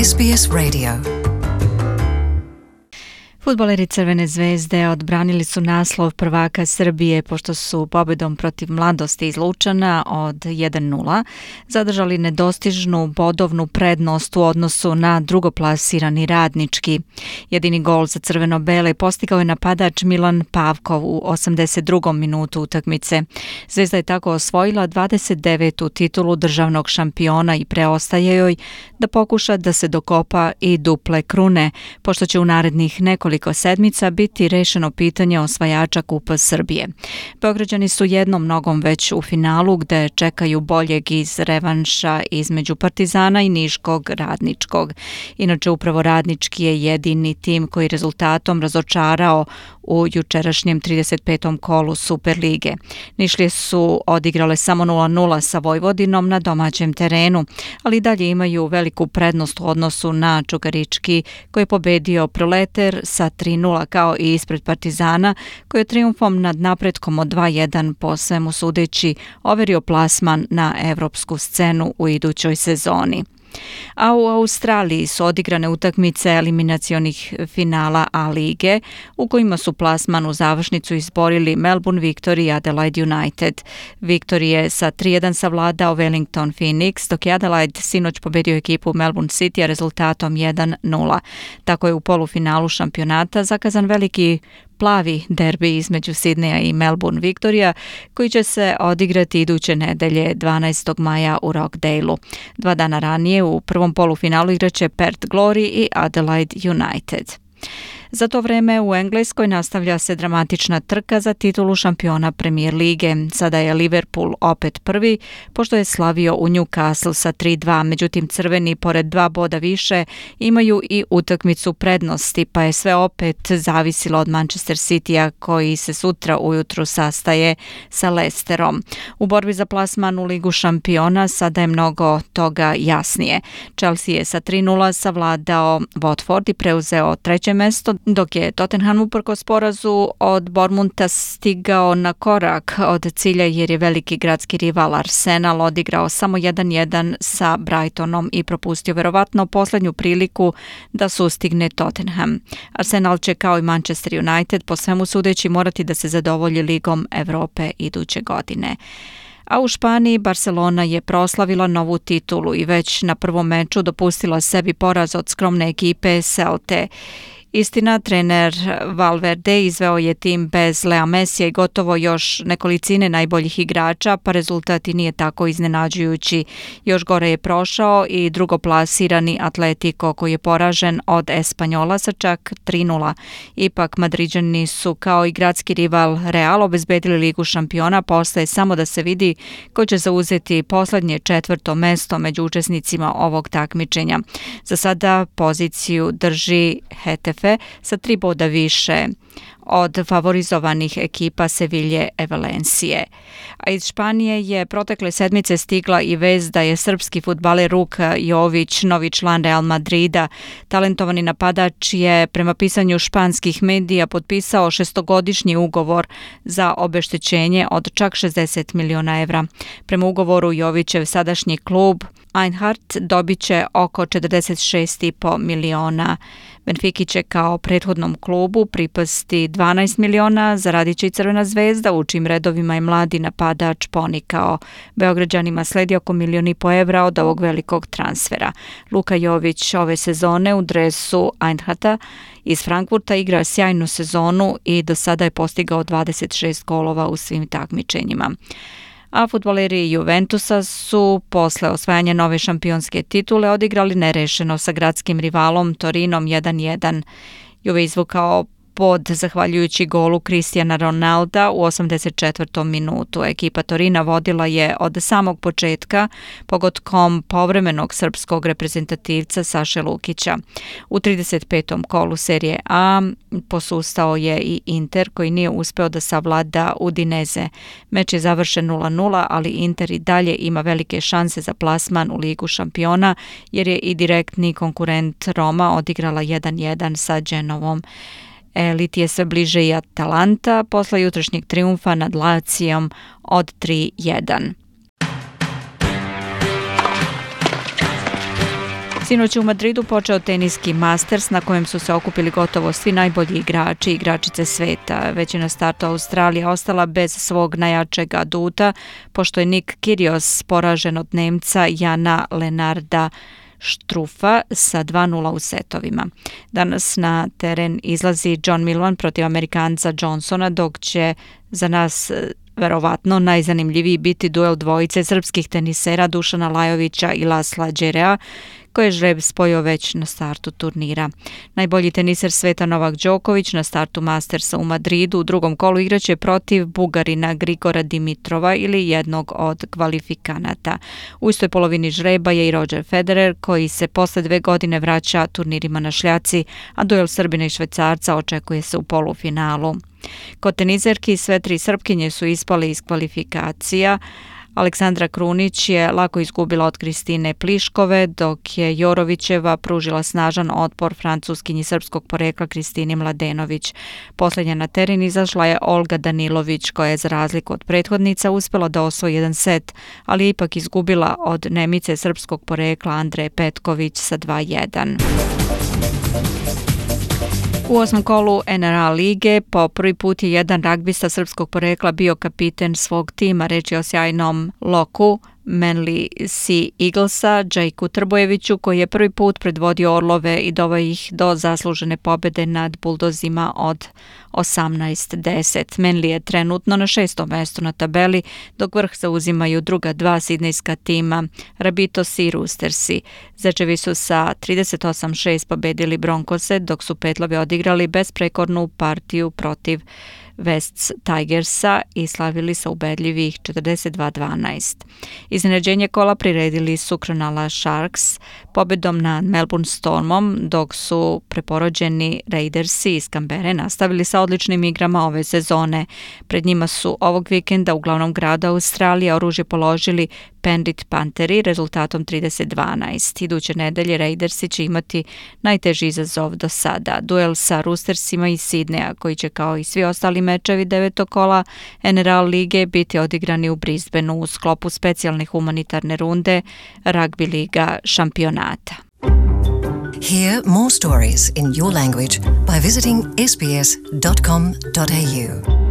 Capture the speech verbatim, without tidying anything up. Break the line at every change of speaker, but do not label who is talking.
S B S Radio. Fudbaleri Crvene zvezde odbranili su naslov prvaka Srbije pošto su pobedom protiv Mladosti iz Lučana od jedan nula zadržali nedostižnu bodovnu prednost u odnosu na drugoplasirani Radnički. Jedini gol za crveno-bele postigao je napadač Milan Pavkov u osamdeset drugom minutu utakmice. Zvezda je tako osvojila dvadeset devetu titulu državnog šampiona i preostaje joj da pokuša da se dokopa i duple krune, pošto će u narednih nekoliko sedmica biti rešeno pitanje osvajača Kupa Srbije. Beograđani su jednom nogom već u finalu gde čekaju boljeg iz revanša između Partizana i Niškog Radničkog. Inače, upravo Radnički je jedini tim koji rezultatom razočarao u jučerašnjem trideset petom kolu Superlige. Nišlije su odigrale samo nula nula sa Vojvodinom na domaćem terenu, ali dalje imaju veliku prednost u odnosu na Čukarički koji je pobedio Proleter sa tri nula kao i ispred Partizana koji je trijumfom nad napretkom od dva jedan po svemu sudeći overio plasman na evropsku scenu u idućoj sezoni. A u Australiji su odigrane utakmice eliminacionih finala A lige u kojima su plasman u završnicu izborili Melbourne Victory i Adelaide United. Victory je sa tri jedan savladao Wellington Phoenix, dok je Adelaide sinoć pobedio ekipu Melbourne City rezultatom jedan nula. Tako je u polufinalu šampionata zakazan veliki plavi derbi između Sidneja i Melbourne Victoria koji će se odigrati iduće nedelje dvanaestog maja u Rockdaleu. Dva dana ranije u prvom polufinalu igraće Perth Glory i Adelaide United. Za to vreme u Engleskoj nastavlja se dramatična trka za titulu šampiona Premier lige. Sada je Liverpool opet prvi, pošto je slavio u Newcastle sa tri dva. Međutim, crveni, pored dva boda više, imaju i utakmicu prednosti, pa je sve opet zavisilo od Manchester Citya, koji se sutra ujutru sastaje sa Leicesterom. U borbi za plasman u Ligu šampiona sada je mnogo toga jasnije. Chelsea je sa tri nula savladao Watford i preuzeo treće mesto, dok je Tottenham uprkos porazu od Bournemoutha stigao na korak od cilja jer je veliki gradski rival Arsenal odigrao samo jedan jedan sa Brightonom i propustio verovatno posljednju priliku da sustigne Tottenham. Arsenal će kao i Manchester United po svemu sudeći morati da se zadovolji Ligom Evrope iduće godine. A u Španiji Barcelona je proslavila novu titulu i već na prvom meču dopustila sebi poraz od skromne ekipe Celte. Istina, trener Valverde izveo je tim bez Lea Messija i gotovo još nekolicine najboljih igrača, pa rezultat i nije tako iznenađujući. Još gore je prošao i drugoplasirani Atletico koji je poražen od Espanjola sa čak tri nula. Ipak Madriđani su kao i gradski rival Real obezbedili Ligu šampiona, postaje samo da se vidi ko će zauzeti poslednje četvrto mesto među učesnicima ovog takmičenja. Za sada poziciju drži Hetafe sa tri boda više od favorizovanih ekipa Sevilje i Valencije. A iz Španije je protekle sedmice stigla i vest da je srpski fudbaler Luka Jović novi član Real Madrida. Talentovani napadač je prema pisanju španskih medija potpisao šestogodišnji ugovor za obeštećenje od čak šezdeset miliona evra. Prema ugovoru Jovićev sadašnji klub Eintracht dobit će oko četrdeset šest i po miliona. Benfiki će kao prethodnom klubu pripasti dvanaest miliona, zaradit će i Crvena zvezda, u čim redovima je mladi napadač ponikao. Beograđanima sledi oko milion i po evra od ovog velikog transfera. Luka Jović ove sezone u dresu Eintrachta iz Frankfurta igra sjajnu sezonu i do sada je postigao dvadeset šest golova u svim takmičenjima. A fudbaleri Juventusa su posle osvajanja nove šampionske titule odigrali nerešeno sa gradskim rivalom Torinom jedan jedan. Juve izvukao pod zahvaljujući golu Cristiana Ronalda u osamdeset četvrtom minutu. Ekipa Torina vodila je od samog početka pogodkom povremenog srpskog reprezentativca Saše Lukića. U trideset petom kolu serije A posustao je i Inter koji nije uspeo da savlada Udineze. Meč je završen nula nula, ali Inter i dalje ima velike šanse za plasman u Ligu šampiona jer je i direktni konkurent Roma odigrala jedan jedan sa Genovom. Eliti je sve bliže i Atalanta posle jutrošnjeg trijumfa nad Lacijom od tri jedan. Sinoć je u Madridu počeo teniski Masters na kojem su se okupili gotovo svi najbolji igrači i igračice sveta. Već je na startu Australija ostala bez svog najjačeg aduta, pošto je Nick Kyrgios poražen od Nemca Jana Lenarda Štrufa sa dva nula u setovima. Danas na teren izlazi John Millman protiv Amerikanca Johnsona, dok će za nas verovatno najzanimljiviji biti duel dvojice srpskih tenisera Dušana Lajovića i Lasla Đerea, koje je žreb spojio već na startu turnira. Najbolji teniser sveta Novak Đoković na startu Mastersa u Madridu u drugom kolu igraće protiv Bugarina Grigora Dimitrova ili jednog od kvalifikanata. U istoj polovini žreba je i Roger Federer, koji se posle dve godine vraća turnirima na šljaci, a duel Srbina i Švajcarca očekuje se u polufinalu. Kod teniserki sve tri Srpkinje su ispale iz kvalifikacija. Aleksandra Krunić je lako izgubila od Kristine Pliškove, dok je Jorovićeva pružila snažan otpor Francuskinji srpskog porekla Kristini Mladenović. Posljednja na teren izašla je Olga Danilović, koja je za razliku od prethodnica uspjela da osvoji jedan set, ali je ipak izgubila od Nemice srpskog porekla Andreje Petković sa dva jedan. U osmom kolu N R A lige po prvi put je jedan ragbista srpskog porekla bio kapiten svog tima. Reč je o sjajnom loku Manly Sea Eaglesa, Džejku Trbojeviću, koji je prvi put predvodio Orlove i doveo ih do zaslužene pobjede nad Buldozima od osamnaest deset. Manly je trenutno na šestom mestu na tabeli, dok vrh zauzimaju druga dva sidnejska tima, Rabitosi i Roostersi. Zečevi su sa trideset osam šest pobedili Broncose, dok su Petlovi odigrali besprekornu partiju protiv Wests Tigersa i slavili sa ubedljivih četrdeset dva dvanaest. Iznenađenje kola priredili su Cronulla Sharks pobedom nad Melbourne Stormom, dok su preporođeni Raidersi iz Kambere nastavili sa odličnim igrama ove sezone. Pred njima su ovog vikenda u glavnom gradu Australije oružje položili Penrith Pantheri rezultatom trideset dvanaest. Iduće nedelje Raidersi će imati najteži izazov do sada. Duel sa Roostersima iz Sidneja, koji će kao i svi ostali mečevi devetog kola N R A lige biti odigrani u Brisbaneu u sklopu specijalne humanitarne runde Rugby liga šampionata.
Hear more stories in your language by visiting s b s dot com dot a u.